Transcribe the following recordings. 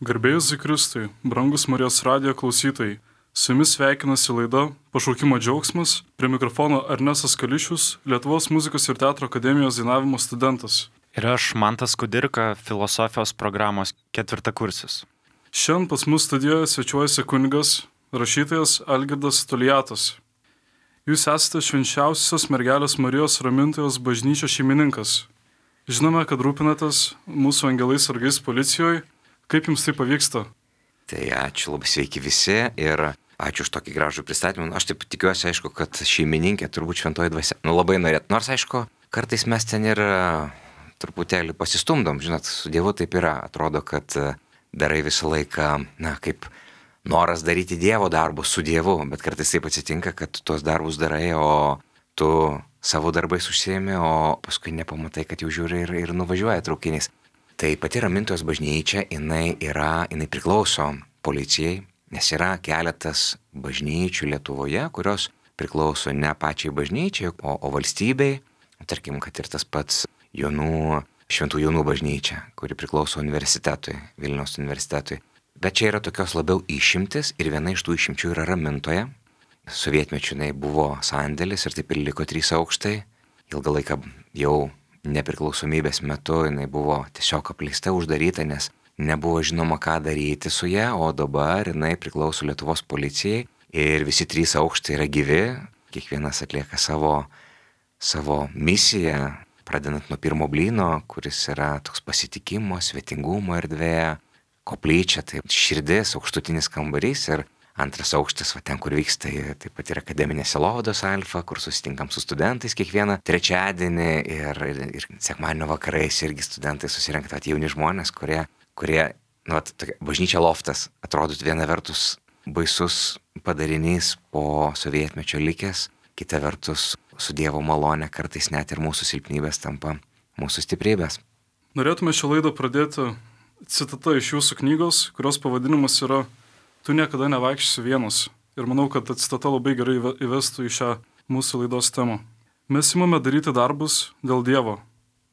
Garbėjus Zikristui, brangus Marijos radijo klausytojai, su jumis sveikinasi laida Pašaukimo džiaugsmas, prie mikrofono Ernestas Kališius, Lietuvos muzikos ir teatro akademijos dainavimo studentas. Ir aš, Mantas Kudirka, filosofijos programos ketvirtakursis. Šiandien pas mus studijoje svečiuojasi kunigas, rašytojas Algirdas Toliatas. Jūs esate švenčiausios mergelės Marijos Ramintojos bažnyčios šeimininkas. Žinome, kad rūpinatės mūsų angelais sargais policijoje. Kaip jums tai pavyksta? Tai ačiū, labai sveiki visi ir ačiū už tokį gražų pristatymą. Aš taip tikiuosi, aišku, kad šeimininkė turbūt šventoji dvasia. Labai norėt. Nors, aišku, kartais mes ten ir truputėlį pasistumdom. Žinot, su Dievu taip yra. Atrodo, kad darai visą laiką, kaip noras daryti Dievo darbus su Dievu. Bet kartais taip atsitinka, kad tu tuos darbus darai, o tu savo darbais užsiemi, o paskui nepamatai, kad jau žiūri ir nuvažiuoja traukinys. Tai pati Ramintojos bažnyčia, jinai priklauso policijai, nes yra keletas bažnyčių Lietuvoje, kurios priklauso ne pačiai bažnyčiai, o valstybei. Tarkim, kad ir tas pats Šventų Jonų bažnyčia, kuri priklauso universitetui, Vilniaus universitetui. Bet čia yra tokios labiau išimtis ir viena iš tų išimčių yra Ramintoja. Sovietmečiu jinai buvo sandėlis ir taip ir liko 3 aukštai. Ilgą laiką jau nepriklausomybės metu jinai buvo tiesiog apleista, uždaryta, nes nebuvo žinoma, ką daryti su ja, o dabar jinai priklauso Lietuvos policijai ir visi 3 aukštai yra gyvi, kiekvienas atlieka savo misiją, pradedant nuo pirmo blyno, kuris yra toks pasitikimo, svetingumo erdvė, koplyčia, tai širdis, aukštutinis kambarys ir antras aukštas, ten, kur vyksta, taip pat yra akademinė sielovados alfa, kur susitinkam su studentais kiekvieną trečiadienį ir sekmadienio vakarais irgi studentai susirenka, jauni žmonės, kurie bažnyčia loftas, atrodo viena vertus baisus padarinys po sovietmečio likęs, kita vertus su Dievo malone kartais net ir mūsų silpnybės tampa mūsų stiprybės. Norėtume šią laidą pradėti citata iš jūsų knygos, kurios pavadinimas yra Tu niekada nevaikščiosi vienas. Ir manau, kad ta citata labai gerai įvestų į šią mūsų laidos temą. Mes imame daryti darbus dėl Dievo.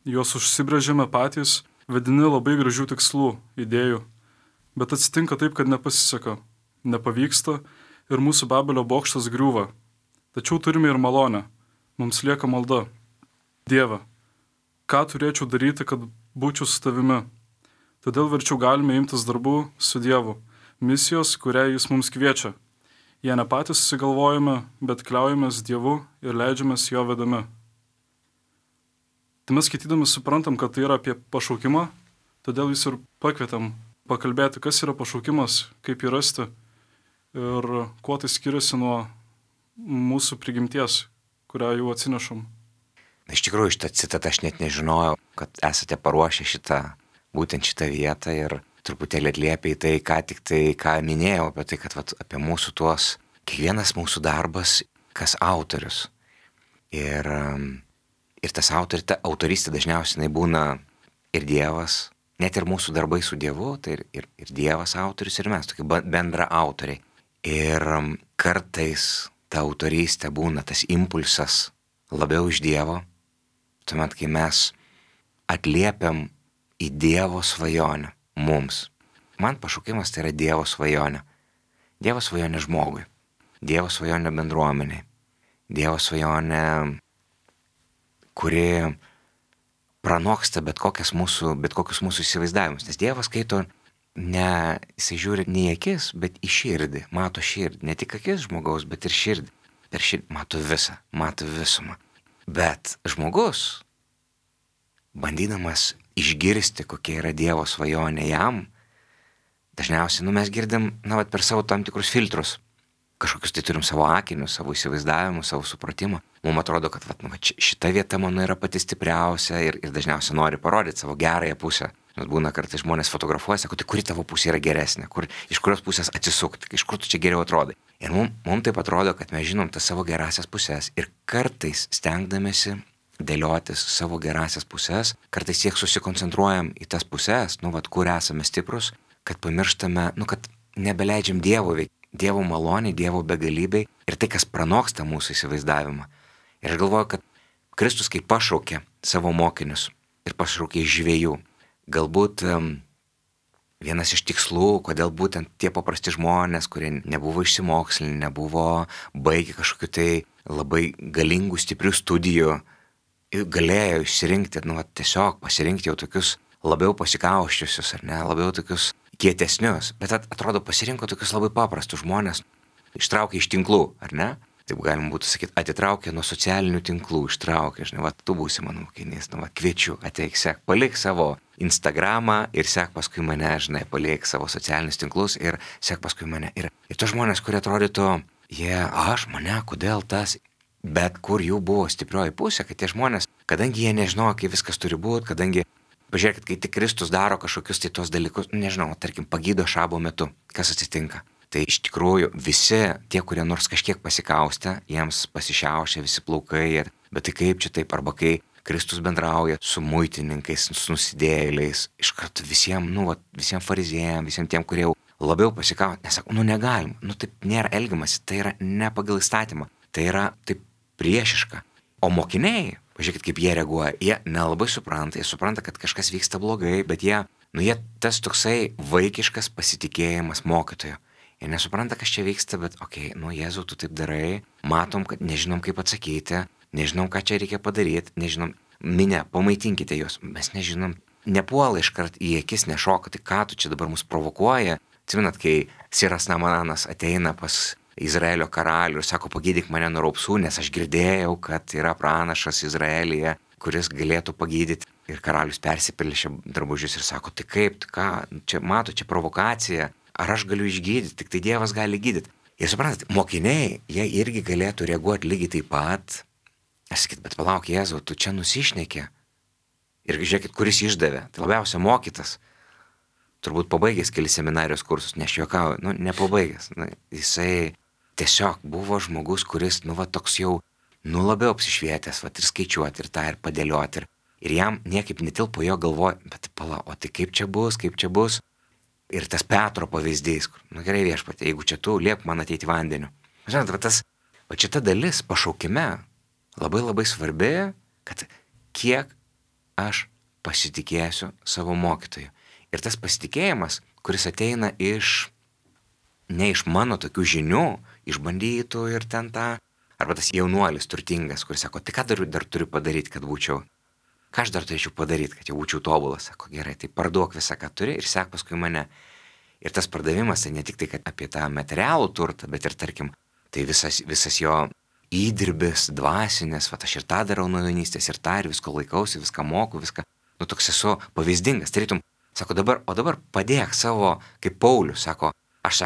Juos užsibrėžėme patys, vedini labai gražių tikslų, idėjų. Bet atsitinka taip, kad nepasiseka, nepavyksta ir mūsų Babelio bokštas griūva. Tačiau turime ir malonę. Mums lieka malda. Dieve, ką turėčiau daryti, kad būčiau su tavimi? Todėl verčiau galime imtis darbų su Dievu. Misijos, kurią jis mums kviečia. Jie ne patys susigalvojame, bet kliaujamės Dievu ir leidžiamės jo vedami. Tai mes skaitydami suprantam, kad tai yra apie pašaukimą, todėl jūs ir pakvietėm pakalbėti, kas yra pašaukimas, kaip jį rasti ir kuo tai skiriasi nuo mūsų prigimties, kurią jau atsinešam. Iš tikrųjų, šitą citatą aš net nežinojau, kad esate paruošę būtent šitą vietą ir truputėlį atliepia į tai, ką minėjau, apie tai, kad apie mūsų kiekvienas mūsų darbas, kas autorius. Ir tas ta autorystė dažniausiai būna ir Dievas, net ir mūsų darbai su Dievu, tai ir Dievas autorius, ir mes, tokie bendra autoriai. Ir kartais ta autorystė būna tas impulsas labiau iš Dievo, tuomet, kai mes atliepiam į Dievo svajonę. Mums. Man pašaukimas tai yra Dievo svajonė. Dievo svajonė žmogui. Dievo svajonė bendruomeniai. Dievo svajonė, kuri pranoksta bet kokius mūsų įsivaizdavimus. Nes Dievas skaito, jisai žiūri ne į akis, bet į širdį. Mato širdį. Ne tik akis žmogaus, bet ir širdį. Per širdį mato visumą. Bet žmogus, bandydamas išgirsti, kokia yra Dievo svajonė jam, dažniausiai mes girdim per savo tam tikrus filtrus. Kažkokius tai turim savo akinius, savo įsivaizdavimus, savo supratimą. Mums atrodo, kad šita vieta mano yra pati stipriausia ir dažniausiai nori parodyti savo gerąją pusę. Nes būna kartais žmonės fotografuojasi, kad kuri tavo pusė yra geresnė, iš kurios pusės atsisukti, iš kur tu čia geriau atrodai. Ir mums taip atrodo, kad mes žinom tas savo gerasias pusės ir kartais stengdamėsi dėliotis savo gerasias pusės, kartais tiek susikoncentruojam į tas pusės, kur esame stiprus, kad pamirštame, kad nebeleidžiam Dievo veikti, Dievo malonė, Dievo begalybei ir tai, kas pranoksta mūsų įsivaizdavimą. Ir aš galvoju, kad Kristus, kai pašaukė savo mokinius ir pašaukė iš žvejų, galbūt vienas iš tikslų, kodėl būtent tie paprasti žmonės, kurie nebuvo išsimokslinę, nebuvo baigę kažkokiu tai labai galingų, stiprių studijų, galėjo išsirinkti, tiesiog pasirinkti jau tokius labiau pasikauščiusius, ar ne, labiau tokius kietesnius, bet atrodo pasirinko tokius labai paprastus žmonės, ištraukė iš tinklų, ar ne? Taip galima būtų sakyti, atitraukė nuo socialinių tinklų, ištraukė, žinai, tu būsi mano mokinys, kviečiu, ateik, sek, palik savo Instagramą ir sek paskui mane, žinai, palik savo socialinius tinklus ir sek paskui mane. Ir tos žmonės, kurie atrodytų, mane, kodėl tas, bet kur jų buvo stiprioji pusė, kad tie žmonės, kadangi jie nežinojo, kaip viskas turi būti, kadangi, pažiūrėkit, kai tik Kristus daro kažkokius tai tos dalykus, nežinau, tarkim, pagydo šabo metu, kas atsitinka. Tai iš tikrųjų visi tie, kurie nors kažkiek pasikaustė, jiems pasišiaušia visi plaukai, bet tai kaip čia taip, arba kai Kristus bendrauja su muitininkais, su nusidėjėliais, iš karto visiems fariziejams, visiems tiem, kurie jau labiau pasikaustė, nesako, negalim, taip nėra elgiamasi, tai yra ne pagal įstatymą, tai yra taip priešiška. O mokiniai, pažiūrėkit, kaip jie reaguoja, jie nelabai supranta, jie supranta, kad kažkas vyksta blogai, bet jie tas toksai vaikiškas pasitikėjimas mokytojo. Jie nesupranta, kas čia vyksta, bet Jėzau, tu taip darai, matom, kad nežinom, kaip atsakyti, nežinom, ką čia reikia padaryti, nežinom, pamaitinkite juos, mes nežinom, nepuola iškart į akis, nešoka, tai ką tu čia dabar mus provokuoja. Atsimenat, kai Siras Namanas ateina pas Izraelio karalių ir sako, pagydyk mane nuo raupsų, nes aš girdėjau, kad yra pranašas Izraelyje, kuris galėtų pagydyti. Ir karalius persipilšė drabužius ir sako, tai kaip, čia mato, čia provokacija. Ar aš galiu išgydyti, tik tai Dievas gali gydyti. Ir suprantate, mokiniai, jie irgi galėtų reaguoti lygiai taip pat. Aš sakyt, bet palauk, Jėzau, tu čia nusišnekė. Ir žiūrėkit, kuris išdavė. Tai labiausia mokytas. Turbūt pabaigęs keli seminarijos kursus, nes juokauju, nepabaigęs. Jisai tiesiog buvo žmogus, kuris, toks jau, labiau apsišvietęs, ir skaičiuoti, ir tą, ir padėlioti. Ir jam niekaip netilpo jo galvoje, bet palauk, o tai kaip čia bus? Ir tas Petro pavyzdys, kur, gerai viešpatie, jeigu čia tu, liep man ateiti vandeniu. Žinot, šita dalis pašaukime labai labai svarbi, kad kiek aš pasitikėsiu savo mokytoju. Ir tas pasitikėjimas, kuris ateina ne iš mano tokių žinių, išbandytų ir ten arba tas jaunuolis turtingas, kuris sako, tai ką dar turiu padaryti, kad būčiau. Ką aš dar turėčiau padaryti, kad jau būčiau tobulas? Sako, gerai, tai parduok visą, ką turi ir sek paskui mane. Ir tas pardavimas, tai ne tik tai, kad apie tą materialų turtą, bet ir, tarkim, tai visas jo įdirbis, dvasinės, aš ir tą darau nuo jaunystės, ir tą, ir visko laikausi, viską moku, viską, toks esu pavyzdingas. Tarytum, sako, dabar padėk savo, kaip Paulius, sako, aš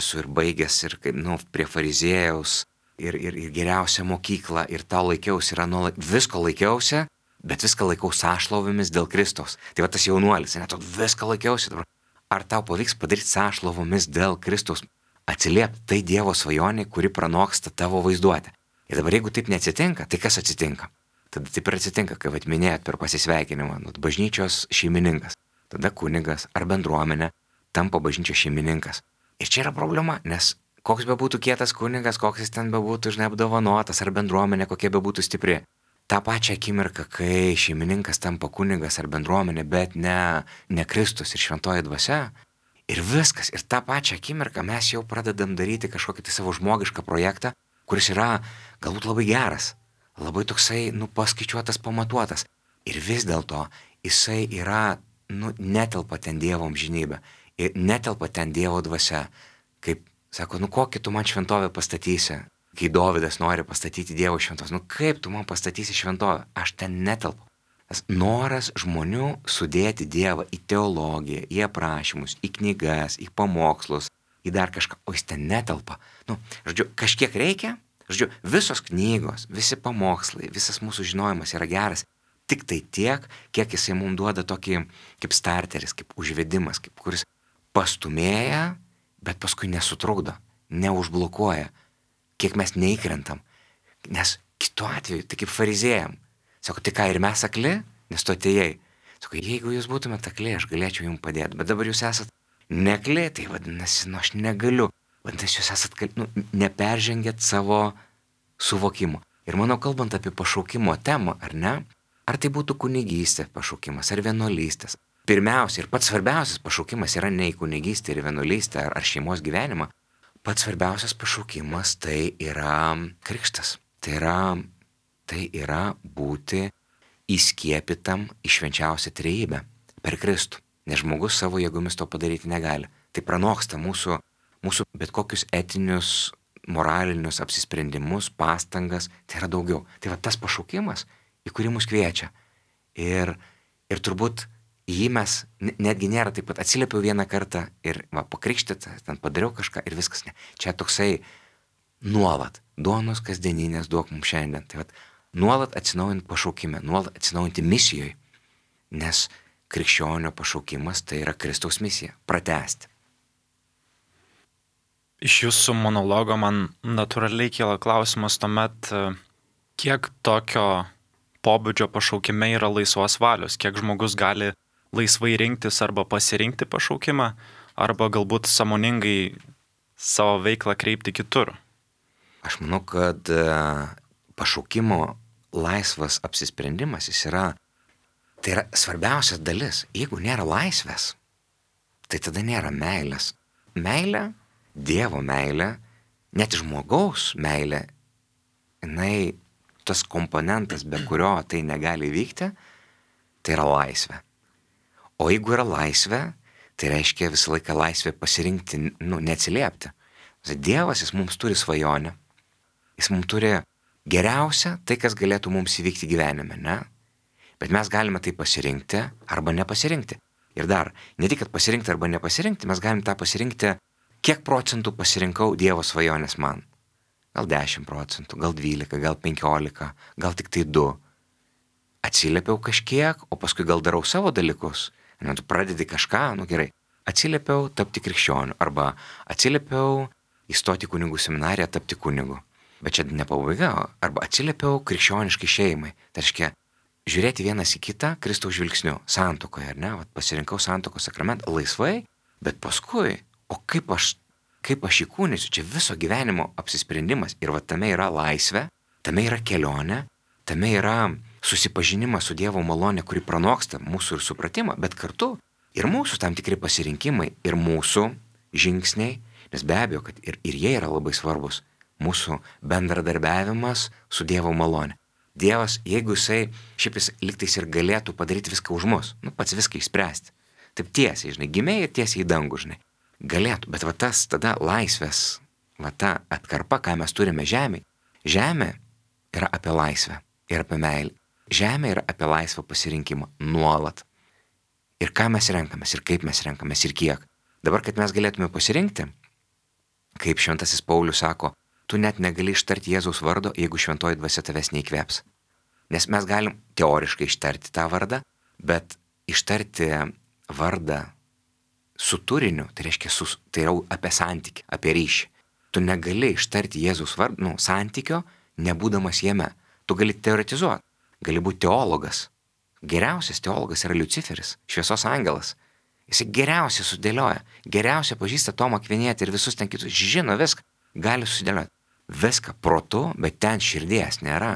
esu ir baigęs, ir kaip, prie fariziejaus, ir geriausią mokyklą, ir tą laikiausi, visko laikiausi, bet viską laikau sąšlovomis dėl Kristaus. Tai tas jaunuolis, viską laikiausi dabar. Ar tau pavyks padaryti sąšlovomis dėl Kristaus? Atsiliepti tai Dievo svajonė, kuri pranoksta tavo vaizduotę. Ir dabar jeigu taip neatsitinka, tai kas atsitinka? Tada taip ir atsitinka, kai minėjot per pasisveikinimą, bažnyčios šeimininkas, tada kunigas ar bendruomenė tampa bažnyčios šeimininkas. Ir čia yra problema, nes koks bebūtų kietas kunigas, koks jis ten bebūtų apdovanotas, ar bendruomenė kokia bebūtų stipri. Ta pačia akimirka, kai šeimininkas tampa kunigas ar bendruomenė, bet ne Kristus ir šventoji dvasia. Ir viskas. Ir tą pačią akimirką mes jau pradedam daryti kažkokį tai savo žmogišką projektą, kuris yra galbūt labai geras, labai toksai, paskaičiuotas, pamatuotas. Ir vis dėlto jisai yra, netelpa ten Dievo amžinybė. Ir netelpa ten Dievo dvasia. Kaip, sako, kokį tu man šventovę pastatysi? Kai Dovydas nori pastatyti Dievo šventovę, kaip tu man pastatysi šventovę? Aš ten netelpu. Tas noras žmonių sudėti Dievą į teologiją, į aprašymus, į knygas, į pamokslus, į dar kažką, o jis ten netelpa. Kažkiek reikia, visos knygos, visi pamokslai, visas mūsų žinojimas yra geras. Tik tai tiek, kiek jisai mums duoda tokį kaip starteris, kaip užvedimas, kuris pastumėja, bet paskui nesutrukdo, neužblokuoja. Kiek mes neįkrentam. Nes kitu atveju, tai kaip fariziejam. Sako, tai ką, ir mes akli, nes tu atėjai. Sako, jeigu jūs būtumėte akli, aš galėčiau jums padėti. Bet dabar jūs esat nekli, tai vadinasi, aš negaliu. Vadinasi, jūs esat, neperžengėt savo suvokimo. Ir manau, kalbant apie pašaukimo temą, ar ne? Ar tai būtų kunigystė pašaukimas, ar vienuolystės, pirmiausia ir pats svarbiausias pašaukimas yra ne į kunigystę ir vienuolystę ar šeimos gyvenimą. Pats svarbiausias pašaukimas tai yra krikštas. Tai yra būti įskiepytam į švenčiausią trejybę per Kristų. Nes žmogus savo jėgomis to padaryti negali. Tai pranoksta mūsų bet kokius etinius, moralinius apsisprendimus, pastangas. Tai yra daugiau. Tai va tas pašaukimas, į kurį mus kviečia. Ir turbūt jį mes netgi nėra taip pat atsiliepiau vieną kartą ir pakrikštyta, ten padariau kažką ir viskas. Ne. Čia toksai nuolat. Duonos kasdieninės duok mums šiandien. Tai va nuolat atsinaujinti pašaukime, nuolat atsinaujinti misijoje. Nes krikščionio pašaukimas tai yra Kristaus misija – pratęsti. Iš jūsų monologo man natūraliai kyla klausimas tuomet, kiek tokio pobūdžio pašaukime yra laisvos valios, kiek žmogus gali laisvai rinktis arba pasirinkti pašaukimą, arba galbūt sąmoningai savo veiklą kreipti kitur. Aš manau, kad pašaukimo laisvas apsisprendimas tai yra svarbiausias dalis. Jeigu nėra laisvės, tai tada nėra meilės. Meilė, Dievo meilė, net žmogaus meilė, jinai tas komponentas, be kurio tai negali vykti, tai yra laisvė. O jeigu yra laisvė, tai reiškia visą laiką laisvė pasirinkti, neatsiliepti. Dievas, jis mums turi svajonę, jis mums turi geriausia tai, kas galėtų mums įvykti gyvenime, ne? Bet mes galime tai pasirinkti arba nepasirinkti. Ir dar, ne tik, kad pasirinkti arba nepasirinkti, mes galime tą pasirinkti, kiek procentų pasirinkau Dievo svajonės man. Gal 10 procentų, gal 12, gal 15, gal tik tai 2. Atsiliepiau kažkiek, o paskui gal darau savo dalykus. Tu pradedi kažką, gerai. Atsiliepiau tapti krikščioniu arba atsiliepiau įstoti kunigų seminariją, tapti kunigu. Bet čia ne pabaiga, arba atsiliepiau krikščioniškai šeimai. Tai reiškia, žiūrėti vienas į kitą Kristaus žvilgsniu, santuokoje, ar ne? Pasirinkau santuokos sakramentą laisvai, bet paskui, o kaip aš įkūnysiu, čia viso gyvenimo apsisprendimas. Ir tame yra laisvė, tame yra kelionė, tame yra susipažinimas su Dievo malonė, kuri pranoksta mūsų ir supratimą, bet kartu ir mūsų tam tikri pasirinkimai, ir mūsų žingsniai, nes be abejo, kad ir jie yra labai svarbus, mūsų bendradarbiavimas su Dievo malonė. Dievas, jeigu jis lygtais ir galėtų padaryti viską už mus, pats viską išspręsti, taip tiesiai, gimė ir tiesiai į dangų, galėtų, bet tas tada laisvės, ta atkarpa, ką mes turime žemėje, žemė yra apie laisvę ir apie meilę. Žemė yra apie laisvą pasirinkimą nuolat. Ir ką mes renkamės, ir kaip mes renkamės, ir kiek. Dabar, kad mes galėtume pasirinkti, kaip šventasis Paulius sako, tu net negali ištarti Jėzaus vardo, jeigu šventoji dvasia tavęs neįkvėps. Nes mes galim teoriškai ištarti tą vardą, bet ištarti vardą su turiniu, tai reiškia, tai yra apie santykį, apie ryšį. Tu negali ištarti Jėzaus vardo, santykio, nebūdamas jame. Tu gali teoretizuoti, gali būti teologas. Geriausias teologas yra Liuciferis, šviesos angelas. Jis geriausiai sudėlioja, geriausiai pažįsta Tomą Akvinietį ir visus ten kitus, žino viską, gali sudėlioti. Viską protu, bet ten širdies nėra.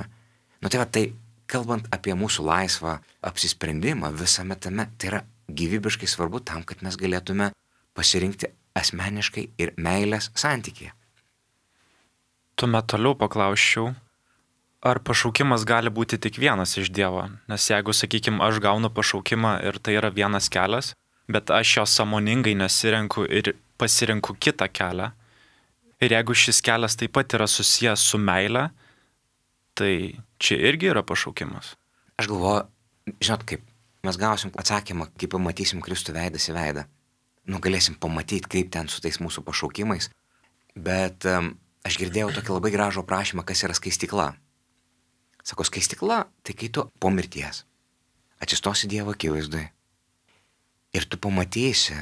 Tai kalbant apie mūsų laisvą apsisprendimą visame tame, tai yra gyvybiškai svarbu tam, kad mes galėtume pasirinkti asmeniškai ir meilės santykį. Tuomet toliau paklausčiau, ar pašaukimas gali būti tik vienas iš Dievo? Nes jeigu, sakykime, aš gaunu pašaukimą ir tai yra vienas kelias, bet aš jo sąmoningai nesirenku ir pasirinku kitą kelią, ir jeigu šis kelias taip pat yra susijęs su meile, tai čia irgi yra pašaukimas. Aš galvoju, žinot kaip, mes gausim atsakymą, kai pamatysim Kristų veidas į veidą. Galėsim pamatyti, kaip ten su tais mūsų pašaukimais. Bet aš girdėjau tokį labai gražų aprašymą, kas yra skaistykla. Sako, skaistykla, tai kai tu po mirties atsistosi Dievo akivaizdui ir tu pamatysi,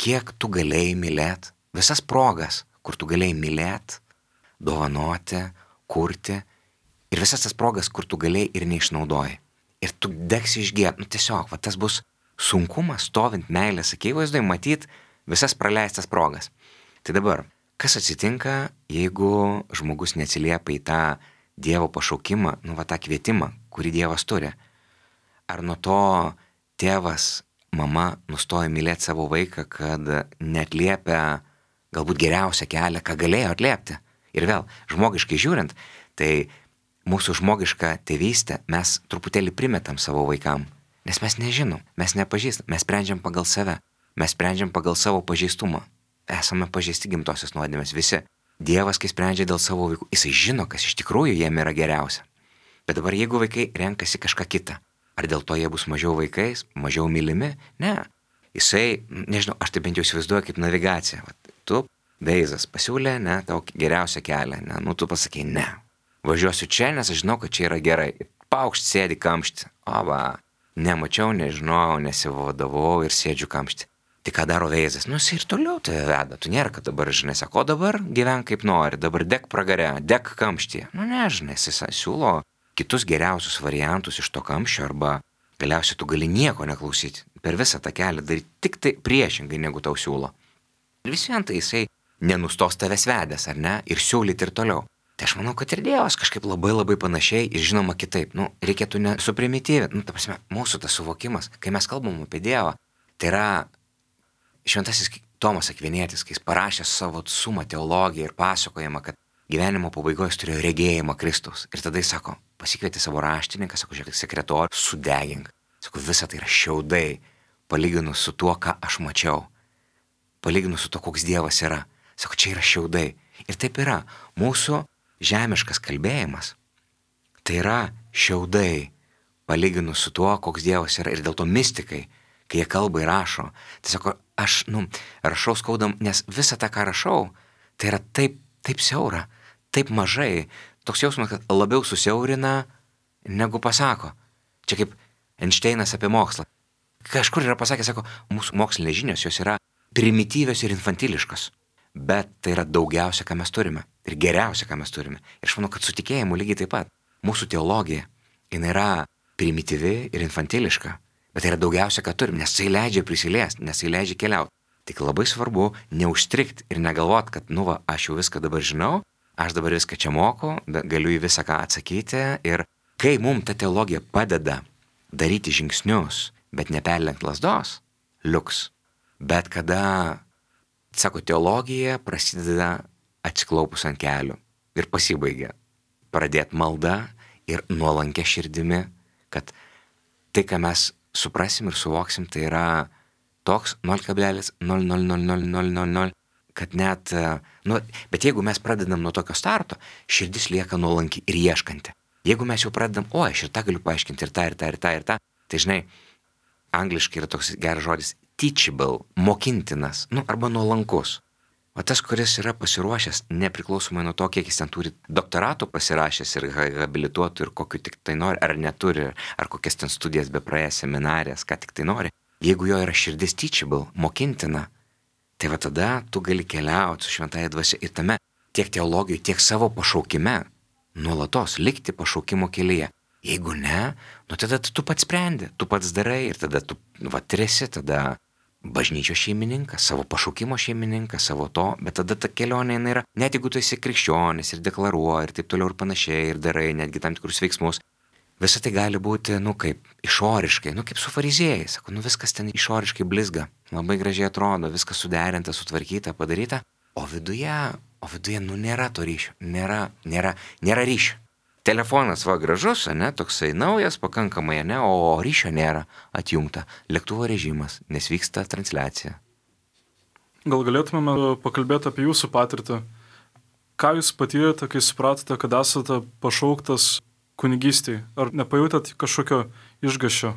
kiek tu galėjai mylėti, visas progas, kur tu galėjai mylėti, dovanoti, kurti, ir visas tas progas, kur tu galėjai ir neišnaudoji. Ir tu degsi išgėt, tiesiog, tas bus sunkumas stovint meilės akivaizdui, matyti visas praleistas progas. Tai dabar, kas atsitinka, jeigu žmogus neatsiliepia į tą Dievo pašaukimą, tą kvietimą, kurį Dievas turi? Ar nuo to tėvas mama nustojo mylėti savo vaiką, kad neatliepia galbūt geriausią kelią, ką galėjo atliepti. Ir vėl, žmogiškai žiūrint, tai mūsų žmogišką tėvystę mes truputėlį primetam savo vaikam, nes mes nežinom, mes nepažįstam, mes sprendžiam pagal save, mes sprendžiam pagal savo pažeistumą. Esame pažeisti gimtosios nuodėmės visi. Dievas, kai sprendžia dėl savo vaikų, jisai žino, kas iš tikrųjų jiem yra geriausia. Bet dabar jeigu vaikai renkasi kažką kitą, ar dėl to jie bus mažiau vaikais, mažiau mylimi? Ne. Jisai, nežinau, aš tai bent jau įsivaizduoju kaip navigacija. Tu, Veizas, pasiūlė, ne, tau geriausią kelią, ne, tu pasakei, ne. Važiuosiu čia, nes aš žinau, kad čia yra gerai. Paukšt sėdi kamšti. O va, nemačiau, nežinojau, nesivadavau ir sėdžiu kamšti. Tai ką daro Veizas? Jis ir toliau tave veda. Tu nėra, kad dabar, žinai, sako, dabar gyvenk kaip nori, dabar dek pragare, dek kamštyje. Žinai, jis siūlo kitus geriausius variantus iš to kamščio arba galiausiai tu gali nieko neklausyti. Per visą tą kelią daryti tik tai priešingai, negu tau siūlo. Ir vis vien tai jisai nenustos tavęs vedęs, ar ne? Ir siūlyti ir toliau. Tai aš manau, kad ir Dievas kažkaip labai panašiai ir žinoma kitaip. Reikėtų nesuprimityvi. Ta prasme, mūsų tas suvokimas, kai mes kalbam apie Dievą, tai yra Šventasis Tomas Akvinietis, kai jis parašė savo sumą teologiją ir pasakojimą, kad gyvenimo pabaigoje jis turėjo regėjimą Kristaus. Ir tada jis sako, pasikvietė savo raštininką, sako, žiūrėk, sekretorių, sudegink. Sako, visa tai yra šiaudai, palyginus su tuo, ką aš mačiau. Palyginus su tuo, koks Dievas yra. Sako, čia yra šiaudai. Ir taip yra. Mūsų žemiškas kalbėjimas tai yra šiaudai, palyginus su tuo, koks Dievas yra. Ir dėl to mistikai, kai jie kalba ir rašo, tai sako, aš, rašau skaudam, nes visą tą, ką rašau, tai yra taip siaura, taip mažai. Toks jausmas, kad labiau susiaurina, negu pasako. Čia kaip Einšteinas apie mokslą. Kažkur yra pasakęs, sako, mūsų mokslinės žinios, jos yra primityvios ir infantiliškos. Bet tai yra daugiausia, ką mes turime. Ir geriausia, ką mes turime. Ir aš manau, kad su tikėjimu lygiai taip pat. Mūsų teologija, jinai yra primityvi ir infantiliška. Bet tai yra daugiausia, ką turim, nes tai leidžia prisiliesti, nes tai leidžia keliauti. Tik labai svarbu neužstrikti ir negalvot, kad, aš jau viską dabar žinau, aš dabar viską čia moku, galiu į visą ką atsakyti. Ir kai mums ta teologija padeda daryti žingsnius, bet neperlenkt lazdos, liuks. Bet kada, sako, teologija prasideda atsiklaupus ant kelių ir pasibaigia. Pradėt maldą ir nuolankia širdimi, kad tai, ką mes suprasim ir suvoksim, tai yra toks 0,00000, kad net, bet jeigu mes pradedam nuo tokio starto, širdis lieka nuolanki ir ieškanti. Jeigu mes jau pradedam, aš ir tą galiu paaiškinti, ir tą, tai žinai, angliškai yra toks geras žodis teachable, mokintinas, arba nuolankus. O tas, kuris yra pasiruošęs, nepriklausomai nuo to, kiek jis ten turi doktoratų pasirašęs ir habilituotų ir kokiu tik tai nori, ar neturi, ar kokias ten studijas bepraėjęs, seminarijas, ką tik tai nori. Jeigu jo yra širdis teachable, mokintina, tai va tada tu gali keliauti su šventąja dvasia ir tame tiek teologijoje, tiek savo pašaukime, nuolatos likti pašaukimo kelyje. Jeigu ne, tada tu pats sprendi, tu pats darai ir tada tu esi tada bažnyčios šeimininkas, savo pašaukimo šeimininkas, savo to, bet tada ta kelionė yra, net jeigu tu esi krikščionis ir deklaruoji ir taip toliau ir panašiai ir darai netgi tam tikrus veiksmus, visą tai gali būti, kaip išoriškai, kaip su fariziejais, sako, viskas ten išoriškai blizga, labai gražiai atrodo, viskas suderinta, sutvarkyta, padaryta, o viduje, nėra to ryšio, nėra ryšio. Telefonas gražus, toksai naujas, pakankamai, o ryšio nėra, atjungta, lėktuvo režimas, nes vyksta transliacija. Gal galėtumėme pakalbėti apie jūsų patirtį? Ką jūs patyrėte, kai supratote, kad esate pašauktas kunigystei? Ar nepajutėt kažkokio išgąsčio?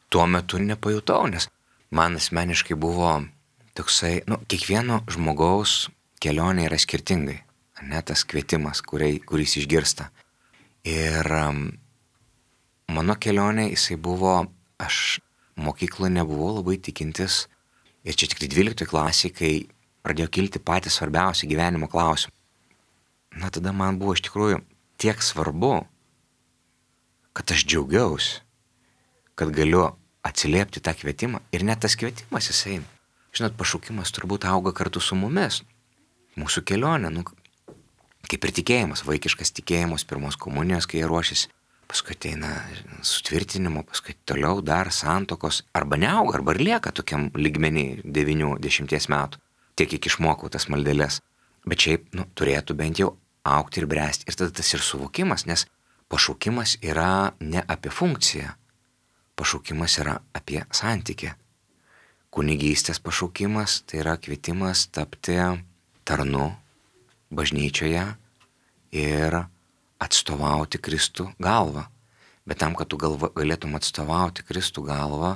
Tuo metu nepajutau, nes man asmeniškai buvo toksai, kiekvieno žmogaus kelionė yra skirtingai, tas kvietimas, kuris išgirsta. Ir mano kelionė, jisai buvo, aš mokykloje nebuvau labai tikintis ir čia tik 12 klasėje, kai pradėjo kilti patys svarbiausi gyvenimo klausimai. Tada man buvo iš tikrųjų tiek svarbu, kad aš džiaugiausi, kad galiu atsiliepti tą kvietimą ir net tas kvietimas jisai, pašaukimas turbūt auga kartu su mumis, mūsų kelionė, kaip ir tikėjimas, vaikiškas tikėjimas, pirmos komunijos, kai jie ruošiasi, paskui ateina sutvirtinimo, paskui toliau dar santokos, arba neauga, arba ir lieka tokiam lygmenį 9-10 metų, tiek kiek išmokau tas maldeles. Bet šiaip, turėtų bent jau augti ir bręsti. Ir tada tas ir suvokimas, nes pašaukimas yra ne apie funkciją, pašaukimas yra apie santykį. Kunigystės pašaukimas tai yra kvietimas tapti tarnu bažnyčioje ir atstovauti Kristų galvą. Bet tam, kad tu galėtum atstovauti Kristų galvą,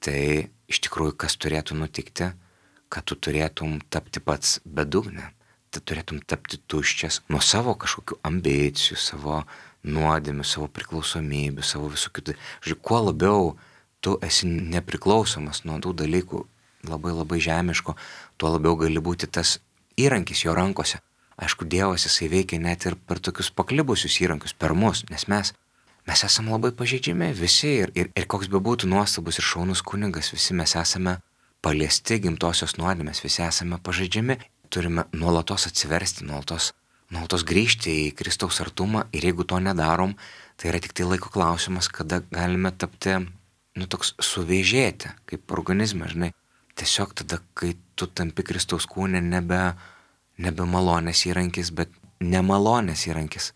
tai iš tikrųjų kas turėtų nutikti, kad tu turėtum tapti pats bedugnė. Tu turėtum tapti tuščias nuo savo kažkokių ambicijų, savo nuodėmių, savo priklausomybių, savo visų kitų. Žiūrėk, kuo labiau tu esi nepriklausomas nuo tų dalykų labai labai žemiško, tuo labiau gali būti tas įrankis jo rankose. Aišku, Dievas jisai veikia net ir per tokius paklibusius įrankius, per mus, nes mes esame labai pažeidžiami visi ir koks be būtų nuostabus ir šaunus kunigas, visi mes esame paliesti gimtosios nuodėmės, visi esame pažeidžiami. Turime nuolatos atsiversti, nuolatos grįžti į Kristaus artumą ir jeigu to nedarom, tai yra tik tai laiko klausimas, kada galime tapti, toks suvėžėti, kaip organizme, žinai. Tiesiog tada, kai tu tampi Kristaus kūne, nebe malonės įrankis, bet nemalonės įrankis.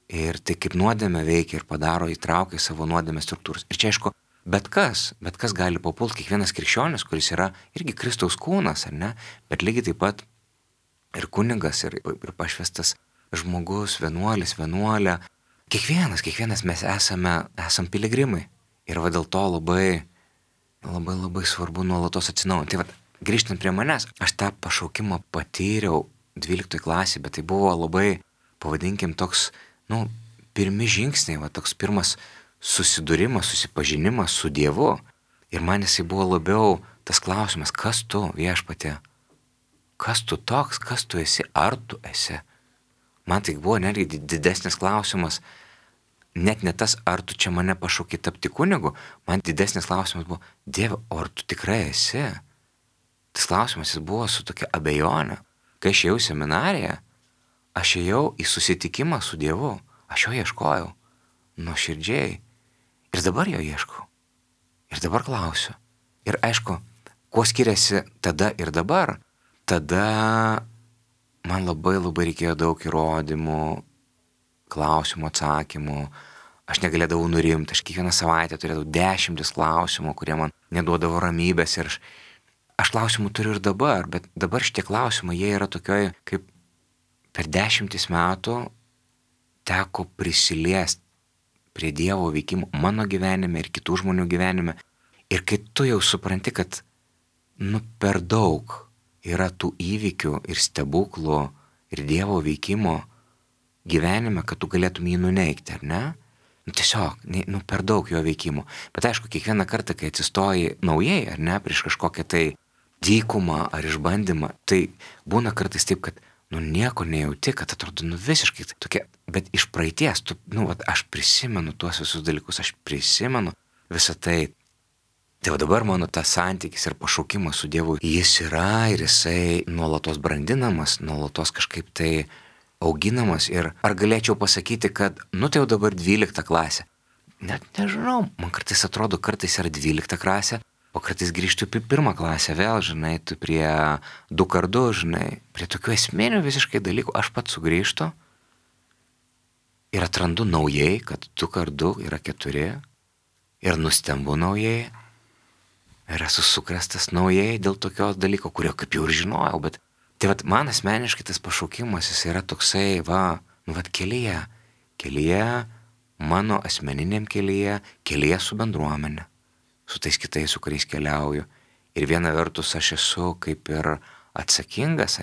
Ir tai kaip nuodėmė veikia ir padaro, įtraukia savo nuodėmės struktūras. Ir čia aišku, bet kas gali papulti, kiekvienas krikščionis, kuris yra irgi Kristaus kūnas, ar ne, bet lygiai taip pat ir kunigas, ir pašvestas žmogus, vienuolis, vienuolė. Kiekvienas mes esam piligrimai. Ir dėl to labai svarbu nuolatos atsinaujinti. Tai grįžtant prie manęs, aš tą pašaukimą patyriau 12 klasėje, bet tai buvo labai, pavadinkim, toks, pirmi žingsniai, toks pirmas susidūrimas, susipažinimas su Dievu. Ir man jisai buvo labiau tas klausimas, kas tu, Viešpatie? Kas tu toks, kas tu esi, ar tu esi? Man tai buvo netgi didesnis klausimas, net ne tas, ar tu čia mane pašauki tapti kunigu, man didesnis klausimas buvo, Dieve, ar tu tikrai esi? Tas klausimas jis buvo su tokia abejonė. Kai aš ėjau į seminariją, aš ėjau į susitikimą su Dievu, aš jo ieškojau, nuoširdžiai. Ir dabar jo ieškau. Ir dabar klausiu. Ir aišku, kuo skiriasi tada ir dabar? Tada man labai reikėjo daug įrodymų, klausimų, atsakymų. Aš negalėdavau nurimti. Aš kiekvieną savaitę turėdavau 10 klausimų, kurie man neduodavo ramybės. Ir aš klausimų turiu ir dabar, bet dabar šitie klausimai, jie yra tokioj, kaip per 10 metų teko prisiliesti prie Dievo veikimo mano gyvenime ir kitų žmonių gyvenime. Ir kai tu jau supranti, kad per daug yra tų įvykių ir stebuklų ir Dievo veikimo gyvenime, kad tu galėtum jį nuneigti, ar ne? Tiesiog, per daug jo veikimo. Bet aišku, kiekvieną kartą, kai atsistoji naujai, ar ne, prieš kažkokią tai dykumą ar išbandymą, tai būna kartais taip, kad nieko nejauti, kad atrodo visiškai tokia, bet iš praeities, aš prisimenu tuos visus dalykus, aš prisimenu visą tai. Tai dabar mano tas santykis ir pašaukimas su Dievu, jis yra ir jisai nuolatos brandinamas, nuolatos kažkaip tai auginamas. Ir ar galėčiau pasakyti, kad, tai jau dabar 12 klasė. Net nežinau, man kartais atrodo, kartais yra 12 klasė, o kartais grįžtu į 1 klasę vėl, žinai, tu prie 2x2, žinai, prie tokių esminių visiškai dalykų. Aš pats sugrįžtu ir atrandu naujai, kad 2x2 yra 4 ir nustembu naujai. Ir esu sukrėstas naujai dėl tokios dalyko, kurio kaip jau ir žinojau, bet tai man asmeniškai tas pašaukimas, jis yra toksai, kelyje, mano asmeniniam kelyje su bendruomenė, su tais kitais, su kuriais keliauju. Ir viena vertus aš esu kaip ir atsakingas,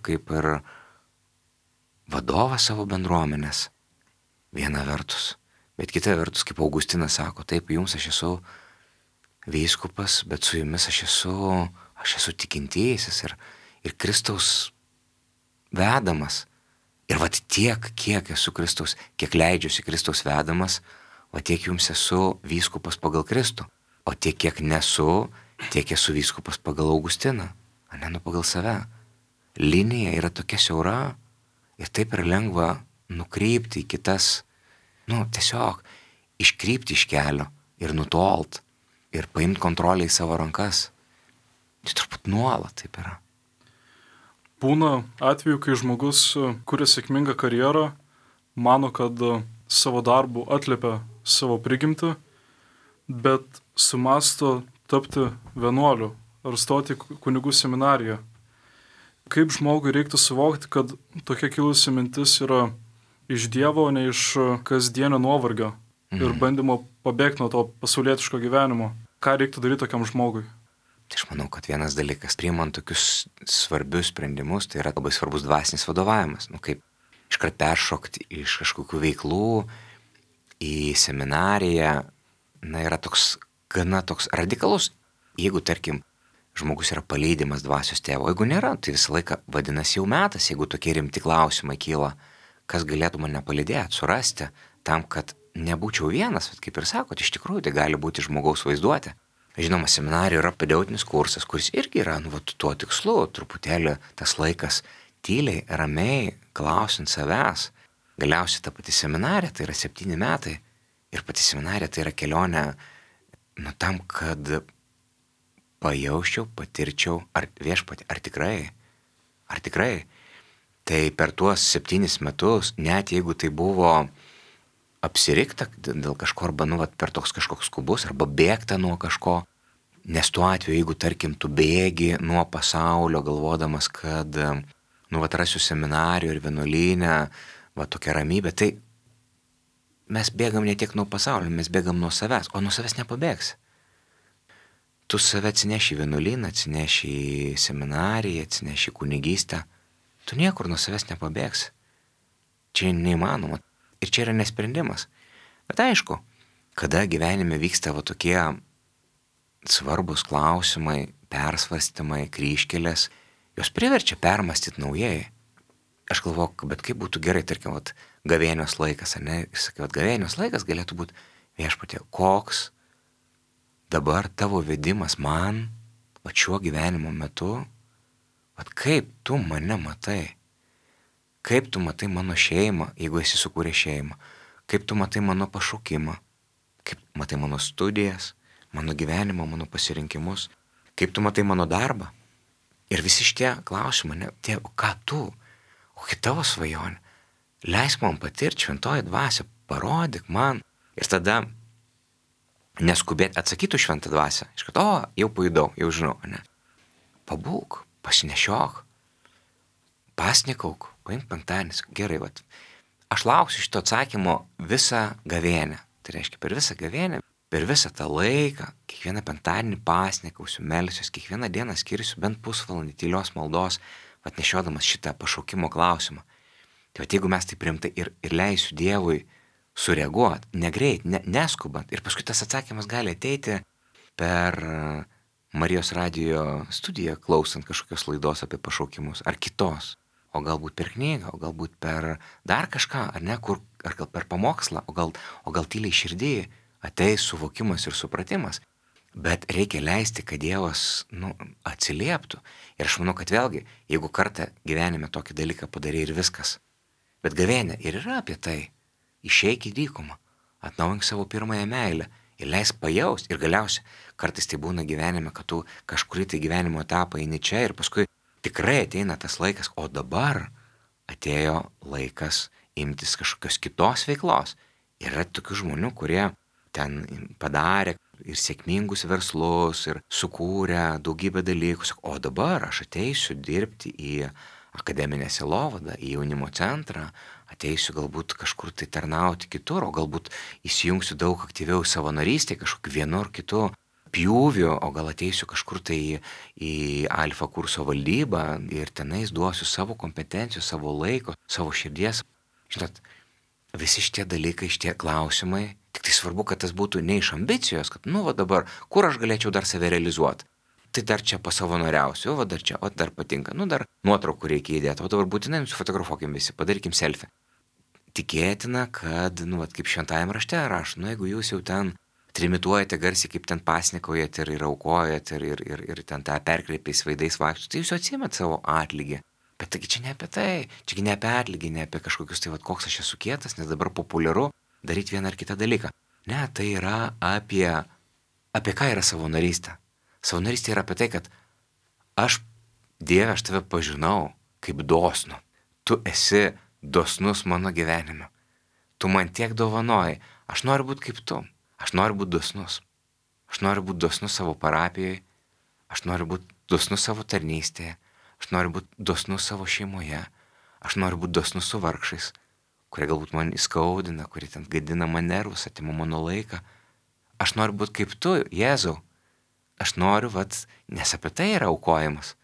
kaip ir vadovas savo bendruomenės, viena vertus. Bet kita vertus, kaip Augustinas sako, taip, jums aš esu vyskupas, bet su jumis aš esu tikintysis ir Kristaus vedamas. Ir tiek, kiek esu Kristaus, kiek leidžiuosi Kristaus vedamas, tiek jums esu vyskupas pagal Kristų. O tiek, kiek nesu, tiek esu vyskupas pagal Augustiną, pagal save. Linija yra tokia siaura ir taip yra lengva nukreipti į kitas tiesiog iškrypti iš kelio ir nutolt ir paimti kontrolę į savo rankas. Tai turbūt nuolat taip yra. Būna atveju, kai žmogus kuria sėkmingą karjerą, mano, kad savo darbu atliepia savo prigimtį, bet sumasto tapti vienuoliu ar stoti kunigų seminariją. Kaip žmogui reiktų suvokti, kad tokia kilusi mintis yra iš Dievo, o ne iš kasdienio nuovargio ir bandymo pabėgti nuo to pasaulietiško gyvenimo? Ką reiktų daryti tokiam žmogui? Tai aš manau, kad vienas dalykas, priimant tokius svarbius sprendimus, tai yra labai svarbus dvasinis vadovavimas. Kaip iškart peršokti iš kažkokių veiklų į seminariją, yra gana toks radikalus. Jeigu, tarkim, žmogus yra palydimas dvasios tėvo, jeigu nėra, tai visą laiką vadinasi jau metas, jeigu tokie rimti klausimai kyla, kas galėtų mane palydėti, surasti, tam, kad nebūčiau vienas, bet kaip ir sakot, iš tikrųjų tai gali būti žmogaus vaizduotė. Žinoma, seminarijoje yra pedagoginis kursas, kuris irgi yra tuo tikslu, truputėlį tas laikas tyliai, ramiai, klausiant savęs. Galiausiai ta pati seminarija tai yra 7 metai ir pati seminarija tai yra kelionė tam, kad pajausčiau, patirčiau, ar viešpatį, ar tikrai. Tai per tuos 7 metus, net jeigu tai buvo apsirikta dėl kažko, arba per toks kažkoks skubus, arba bėgta nuo kažko, nes tuo atveju, jeigu tarkim tu bėgi nuo pasaulio, galvodamas, kad rasiu seminarijų ir vienuolynę, tokia ramybė, tai mes bėgam ne tiek nuo pasaulio, mes bėgam nuo savęs, o nuo savęs nepabėgsi. Tu save atsineši į vienuolyną, atsineši į seminariją, atsineši į kunigystę. Tu niekur nuo savęs nepabėgsi. Čia neįmanoma. Ir čia yra nesprendimas. Bet aišku, kada gyvenime vyksta tokie svarbus klausimai, persvarstymai, kryžkelės, jos priverčia permastyti naujai. Aš galvoju, bet kaip būtų gerai, tarkim, gavėnios laikas, ar ne? Sakiau, gavėnios laikas galėtų būti viešpatie, koks dabar tavo vedimas man, šiuo gyvenimo metu, kaip tu mane matai, kaip tu matai mano šeimą, jeigu esi sukūręs šeimą, kaip tu matai mano pašaukimą, kaip matai mano studijas, mano gyvenimą, mano pasirinkimus, kaip tu matai mano darbą. Ir visi šitie klausimai, o ką tu, kokia tavo svajonė, leisk man patirti, šventoji dvasia, parodyk man. Ir tada neskubėti, atsakytų šventą dvasią, iškart, jau pajudau, jau žinau, ne? Pabūk, pasinešiok, pasnikauk, paimk penktadienis, gerai, aš lauksiu šito atsakymo visą gavėnią, tai reiškia per visą gavėnią, per visą tą laiką, kiekvieną penktadienį pasnikausiu, melsiuos, kiekvieną dieną skirsiu bent pusvalandį tylios maldos, nešiodamas šitą pašaukimo klausimą. Tai jeigu mes tai priimtai ir leisiu Dievui sureaguoti, negreit, neskubant. Ir paskui tas atsakymas gali ateiti per Marijos radijo studiją, klausant kažkokios laidos apie pašaukimus, ar kitos. O galbūt per knygą, o galbūt per dar kažką, ar ne, ar gal per pamokslą, o gal tyliai širdį ateis suvokimas ir supratimas. Bet reikia leisti, kad Dievas atsilieptų. Ir aš manau, kad vėlgi, jeigu kartą gyvenime tokį dalyką padarė ir viskas. Bet gavėnė ir yra apie tai. Išeik į dykumą, atnaujink savo pirmąją meilę ir leisk pajaust. Ir galiausiai kartais tai būna gyvenime, kad tu kažkurį tai gyvenimo etapą eini čia ir paskui tikrai ateina tas laikas, o dabar atėjo laikas imtis kažkokios kitos veiklos. Yra tokių žmonių, kurie ten padarė ir sėkmingus verslus ir sukūrė daugybę dalykų. O dabar aš ateisiu dirbti į akademinę sielovadą, į jaunimo centrą, ateisiu galbūt kažkur tai tarnauti kitur, o galbūt įsijungsiu daug aktyviau į savanorystę, kažkokiu vienu ar kitu pjūviu, o gal ateisiu kažkur tai į alfa kurso valdybą ir tenais duosiu savo kompetencijų, savo laiko, savo širdies. Žinot, visi šitie dalykai, šitie klausimai, tik tai svarbu, kad tas būtų ne iš ambicijos, kad dabar, kur aš galėčiau dar save realizuoti. Tai dar čia pasavanoriausiu, dar čia, dar patinka, dar nuotraukų reikia įdėti, o dabar būtinai nusifotografuokim visi, padarykim selfie. Tikėtina, kad, kaip šventajame rašte rašo, jeigu jūs jau ten trimituojate garsiai, kaip ten pasnikaujate ir aukojate ir ten tą perkreipiais veidais vaikščiate, tai jūs jau atsiimat savo atlygį. Bet taigi čia ne apie tai, čia ne apie atlygį, ne apie kažkokius tai, koks aš esu kietas, nes dabar populiaru. daryti vieną ar kitą dalyką. Ne, tai yra apie ką yra savanorystė. Savanorystė yra apie tai, kad Dieve, aš tave pažinau kaip dosnų. Tu esi dosnus mano gyvenime. Tu man tiek dovanoji. Aš noriu būti kaip tu. Aš noriu būti dosnus. Aš noriu būti dosnus savo parapijoje. Aš noriu būti dosnus savo tarnystėje. Aš noriu būti dosnus savo šeimoje. Aš noriu būti dosnus su vargšais, kurie galbūt man įskaudina, kurie ten gadina man nervus, atima mano laiką. Aš noriu būti kaip tu, Jėzau. Aš noriu, nes apie tai yra aukojimas.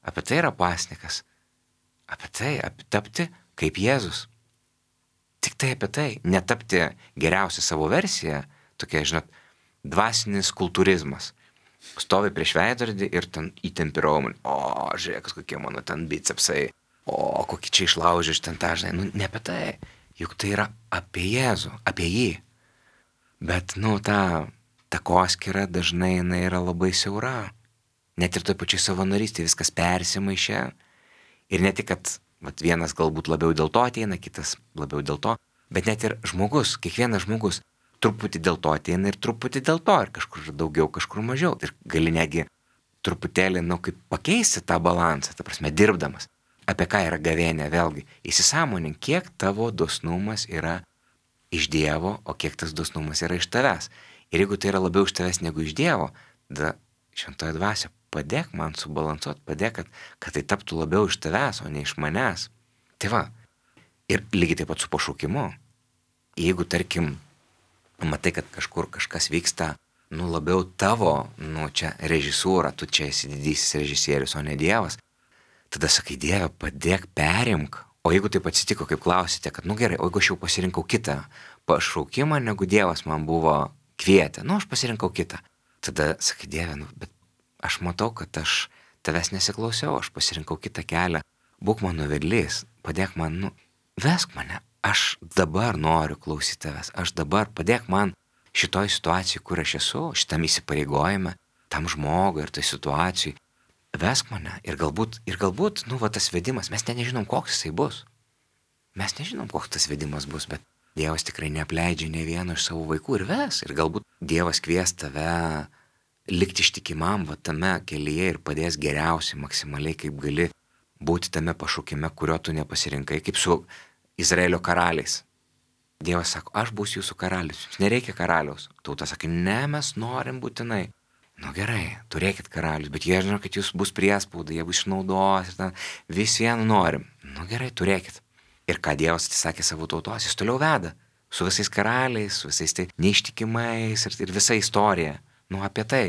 Apie tai yra pasnikas. Apie tapti kaip Jėzus. Tik tai apie tai. Netapti geriausią savo versiją. Tokia, dvasinis kultūrizmas. Stovi prieš veidrodį ir ten įtempi raumenį. O, žiūrėk, kokie mano ten bicepsai. O, kokį čia išlaužė iš ten tą, ne apie tai. Juk tai yra apie Jėzų, apie jį. Bet, ta takoskyra dažnai jinai yra labai siaura. Net ir toj pačiai savanorystėje viskas persimaišė. Ir ne tik, kad vienas galbūt labiau dėl to ateina, kitas labiau dėl to, bet net ir žmogus, kiekvienas žmogus truputį dėl to ateina ir truputį dėl to, ir kažkur daugiau, kažkur mažiau. Ir gali netgi truputėlį, kaip pakeisti tą balansą, ta prasme, dirbdamas. Apie ką yra gavėnia, vėlgi, įsisąmonink, kiek tavo dosnumas yra iš Dievo, o kiek tas dosnumas yra iš tavęs. Ir jeigu tai yra labiau iš tavęs negu iš Dievo, tada šventoji dvasia, padėk man subalansuoti, padėk, kad tai taptų labiau iš tavęs, o ne iš manęs. Tai va, ir lygiai taip pat su pašaukimu. Jeigu, tarkim, matai, kad kažkur kažkas vyksta, labiau tavo, čia režisūra, tu čia esi didysis režisierius, o ne Dievas, tada sakai, Dieve, padėk, perimk. O jeigu taip atsitiko, kaip klausite, kad, gerai, o jeigu aš jau pasirinkau kitą pašaukimą, negu Dievas man buvo kvietę, aš pasirinkau kitą. Tada sakai, Dieve, bet aš matau, kad aš tavęs nesiklausiau, aš pasirinkau kitą kelią. Būk mano vedlys, padėk man, vesk mane. Aš dabar noriu klausyti tavęs. Aš dabar padėk man šitoj situacijai, kur aš esu, šitam įsipareigojime, tam žmogui ir tai situacijai. Vesk mane. Ir galbūt, tas vedimas, mes nežinom, koks jisai bus. Mes nežinom, koks tas vedimas bus, bet Dievas tikrai neapleidžia ne vieno iš savo vaikų ir ves. Ir galbūt Dievas kvies tave likti ištikimam tame kelyje ir padės geriausiai, maksimaliai, kaip gali būti tame pašaukime, kurio tu nepasirinkai, kaip su Izraelio karaliais. Dievas sako, aš būsiu jūsų karalius, jums nereikia karaliaus. Tauta sakė, ne, mes norim būtinai. Gerai, turėkit karalius, bet jie žino, kad jūs bus priespauda, jie bus išnaudos ir ten vis vienu norim. Gerai, turėkit. Ir ką Dievas atsisakė savo tautos, jis toliau veda. Su visais karaliais, su visais tai neištikimais ir visa istorija. Apie tai.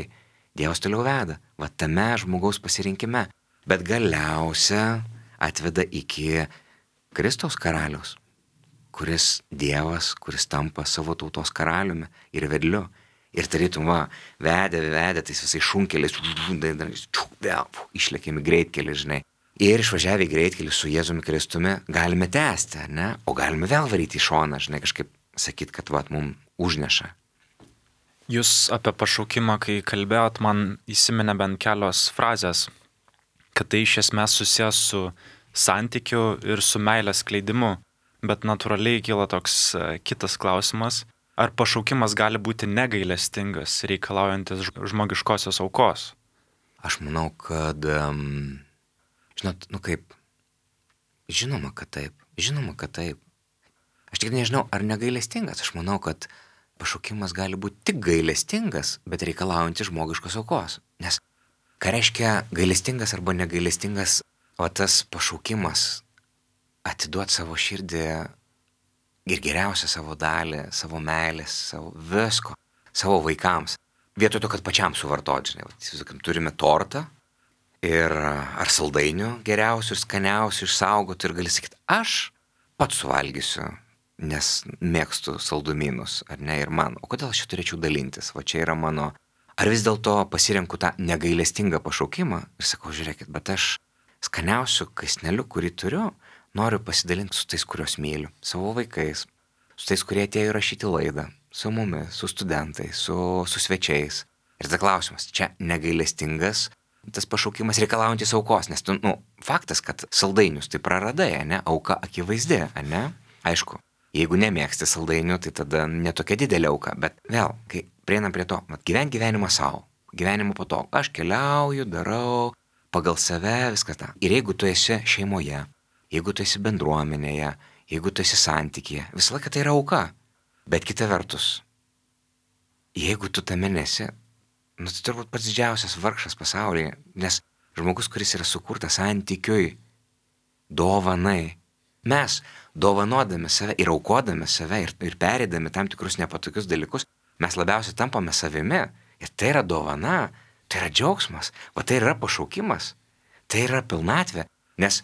Dievas toliau veda. Tame žmogaus pasirinkime. Bet galiausia atveda iki Kristaus karaliaus, kuris Dievas, kuris tampa savo tautos karaliumi ir vedliu. Ir tarytum, vedė tais visais šunkeliais, išlėkėme greitkelį, žinai. Ir išvažiavę į greitkelį su Jėzumi Kristumi galime tęsti, ne? O galime vėl varyti į šoną, žinai, kažkaip sakyti, kad mums užneša. Jūs apie pašaukimą, kai kalbėjot, man įsiminė bent kelios frazės, kad tai iš esmės susijęs su santykiu ir su meilės skleidimu, bet natūraliai kyla toks kitas klausimas, ar pašaukimas gali būti negailestingas, reikalaujantis žmogiškosios aukos? Aš manau, kad, žinoma, kad taip. Aš tik nežinau, ar negailestingas, aš manau, kad pašaukimas gali būti tik gailestingas, bet reikalaujantis žmogiškos aukos. Nes ką reiškia gailestingas arba negailestingas, tas pašaukimas atiduoti savo širdį ir geriausią savo dalį, savo meilės, savo visko, savo vaikams. Vietoj to, kad pačiam suvartoti, žinai, turime tortą ir ar saldainių geriausių ir skaniausių išsaugoti ir gali sakyti, aš pats suvalgysiu, nes mėgstu saldumynus, ar ne, ir man. O kodėl aš čia turėčiau dalintis? Čia yra mano. Ar vis dėlto pasirenku tą negailestingą pašaukimą ir sakau, žiūrėkit, bet aš skaniausiu kąsneliu, kurį turiu, noriu pasidalinti su tais, kuriuos myliu, savo vaikais, su tais, kurie atėjo įrašyti laidą, su mumis, su studentais, su svečiais. Ir tas klausimas, čia negailestingas tas pašaukimas reikalaujantis aukos, nes faktas, kad saldainius tai praradai, ne, auka akivaizdi, ne, aišku. Jeigu nemėgsti saldainių, tai tada netokia didelė auka. Bet vėl, kai prieinam prie to, gyventi gyvenimą savo, gyvenimą po to, aš keliauju, darau, pagal save, viskas tą. Ir jeigu tu esi šeimoje, jeigu tu esi bendruomenėje, jeigu tu esi santykyje, visą laiką tai yra auka. Bet kita vertus, jeigu tu tame nesi, tai turbūt pats didžiausias vargšas pasaulyje, nes žmogus, kuris yra sukurtas santykiui, dovanai, mes dovanodami save ir aukodami save ir perėdami tam tikrus nepatogius dalykus, mes labiausiai tampame savimi. Ir tai yra dovana, tai yra džiaugsmas, o tai yra pašaukimas, tai yra pilnatvė. Nes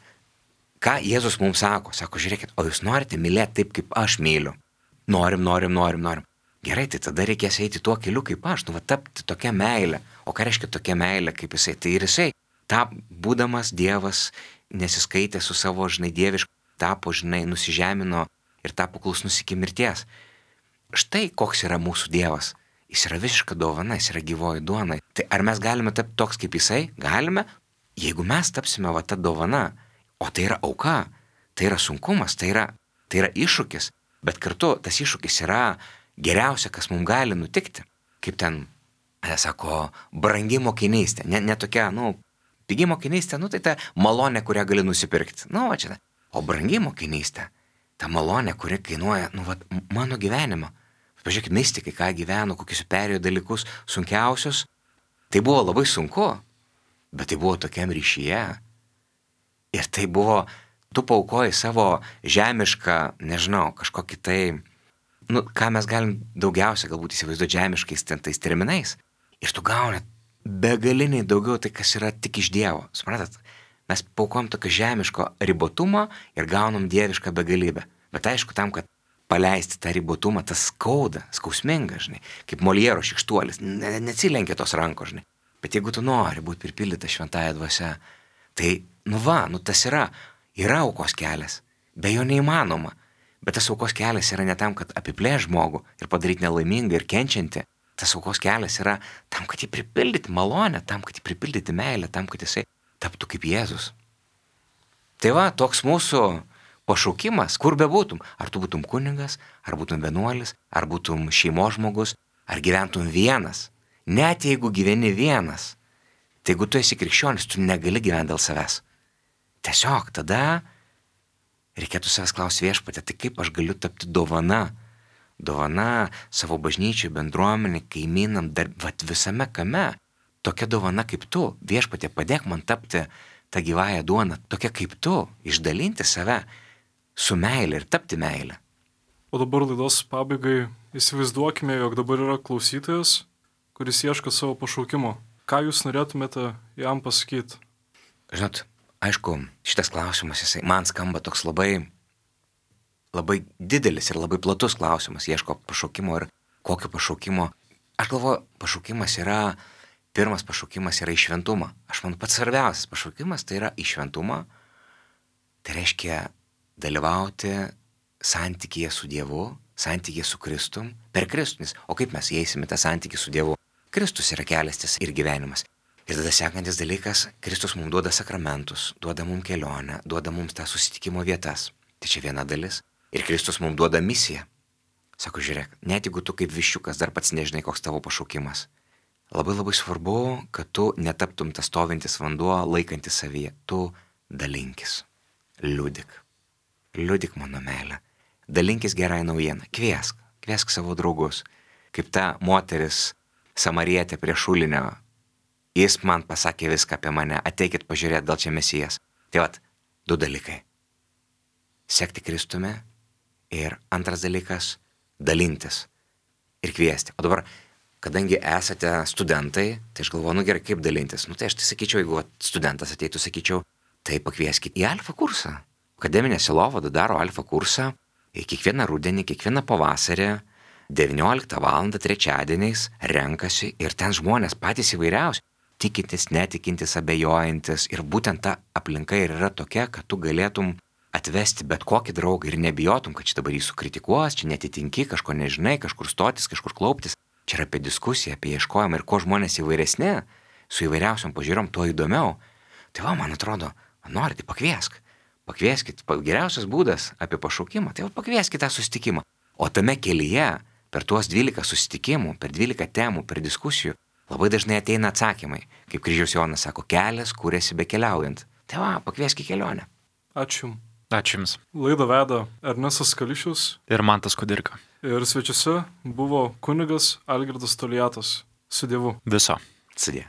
ką Jėzus mums sako, žiūrėkit, o jūs norite mylėti taip, kaip aš myliu. Norim. Gerai, tai tada reikės eiti tuo keliu kaip aš, tapti tokia meilė. O ką reiškia tokia meilė kaip jisai? Tai ir jisai, būdamas Dievas, nesiskaitė su savo, dievišku, tapo, nusižemino ir tapo klusnus iki mirties. Štai koks yra mūsų Dievas. Jis yra visiška dovana, jis yra gyvoji duona. Tai ar mes galime tapti toks kaip jisai? Galime, jeigu mes tapsime ta dovana. O tai yra auka, tai yra sunkumas, tai yra iššūkis. Bet kartu tas iššūkis yra geriausia, kas mums gali nutikti. Kaip ten, sako, brangi mokinystė. Ne tokia, pigi mokinystė, tai ta malonė, kurią gali nusipirkti. Čia. O brangi mokinystė, ta malonė, kuri kainuoja, mano gyvenimą. Pažiūrėkit, mistikai, ką gyveno, kokius perėjo dalykus sunkiausius. Tai buvo labai sunku, bet tai buvo tokiam ryšyje. Ir tai buvo, tu paaukoji savo žemišką, kažkokį tai, ką mes galim daugiausia galbūt įsivaizduoti žemiškais tais terminais. Ir tu gauni begaliniai daugiau tai, kas yra tik iš Dievo. Suprantat? Mes paukojam tokio žemiško ribotumo ir gaunam dievišką begalybę. Bet aišku, tam, kad paleisti tą ribotumą, tas skauda, skausminga, kaip Moliero šykštuolis, neatsilenkia tos rankos, Bet jeigu tu nori būti pripildyta šventąja dvasia, tai, tas yra aukos kelias, be jo neįmanoma. Bet tas aukos kelias yra ne tam, kad apiplėš žmogų ir padaryti nelaimingą ir kenčiantį. Tas aukos kelias yra tam, kad jį pripildyti malonę, tam, kad jį pripildyti meilę, tam, kad jisai taptų kaip Jėzus. Tai toks mūsų pašaukimas, kur bebūtum. Ar tu būtum kunigas, ar būtum vienuolis, ar būtum šeimos žmogus, ar gyventum vienas. Net jeigu gyveni vienas, tai jeigu tu esi krikščionis, tu negali gyventi dėl savęs. Tiesiog tada reikėtų savęs klausti Viešpatie, tai kaip aš galiu tapti dovana? Dovana savo bažnyčiai, bendruomenė, kaimynam, visame kame. Tokia dovana kaip tu, Viešpatie, padėk man tapti tą gyvąją duoną, tokia kaip tu, išdalinti save su meilė ir tapti meilę. O dabar laidos pabaigai įsivaizduokime, jog dabar yra klausytojas, kuris ieško savo pašaukimo. Ką jūs norėtumėte jam pasakyti? Žinot, aišku, šitas klausimas, jisai man skamba toks labai didelis ir labai platus klausimas, ieško pašaukimo ir kokio pašaukimo. Aš galvoju, pirmas pašaukimas yra į šventumą. Aš manau, pats svarbiausias pašaukimas tai yra į šventumą. Tai reiškia dalyvauti santykyje su Dievu, santykyje su Kristum, per Kristų. O kaip mes įeisime tą santykį su Dievu? Kristus yra kelias ir gyvenimas. Ir tada sekantis dalykas, Kristus mums duoda sakramentus, duoda mums kelionę, duoda mums tą susitikimo vietas. Tai čia viena dalis. Ir Kristus mums duoda misiją. Sako, žiūrėk, net jeigu tu kaip viščiukas dar pats nežinai, koks tavo pašaukimas, labai svarbu, kad tu netaptum tas stovintis vanduo, laikantis savyje. Tu dalinkis. Liudik mano meilę. Dalinkis gerai naujieną. Kviesk savo draugus. Kaip ta moteris samarietė prie šulinio. Jis man pasakė viską apie mane. Ateikit pažiūrėti, gal čia Mesijas. Tai 2 dalykai. Sekti Kristumi ir antras dalykas – dalintis ir kviesti. O dabar, kadangi esate studentai, tai aš galvoju, gerai, kaip dalintis. Tai aš sakyčiau, jeigu studentas ateitų, sakyčiau, tai pakvieskit į alfa kursą. Akademinė sielovada daro alfa kursą kiekvieną rudenį, kiekvieną pavasarį, 19 val. Trečiadieniais renkasi ir ten žmonės patys įvairiausi, tikintis, netikintis, abejojantis. Ir būtent ta aplinka ir yra tokia, kad tu galėtum atvesti bet kokį draugą ir nebijotum, kad čia dabar jį sukritikuos, čia netitinki, kažko nežinai, kažkur stotis, kažkur klauptis. Čia yra apie diskusiją, apie ieškojimą ir kuo žmonės įvairesni, su įvairiausiom pažiūrom, tuo įdomiau. Tai man atrodo, nori, tai pakviesk. Pakvieskit, geriausias būdas apie pašaukimą, tai pakvieskit tą susitikimą. O tame kelyje, per tuos 12 susitikimų, per 12 temų, per diskusijų, labai dažnai ateina atsakymai. Kaip Kryžiaus Jonas sako, kelias kūrėsi bekeliaujant. Tai va, pakviesk į kelionę. Ačiū. Ačiū Jums. Laidą veda Ernestas Kališius. Ir Mantas Kudirka. Ir svečiuose buvo kunigas Algirdas Toliatas. Su Dievu. Viso. Sudie.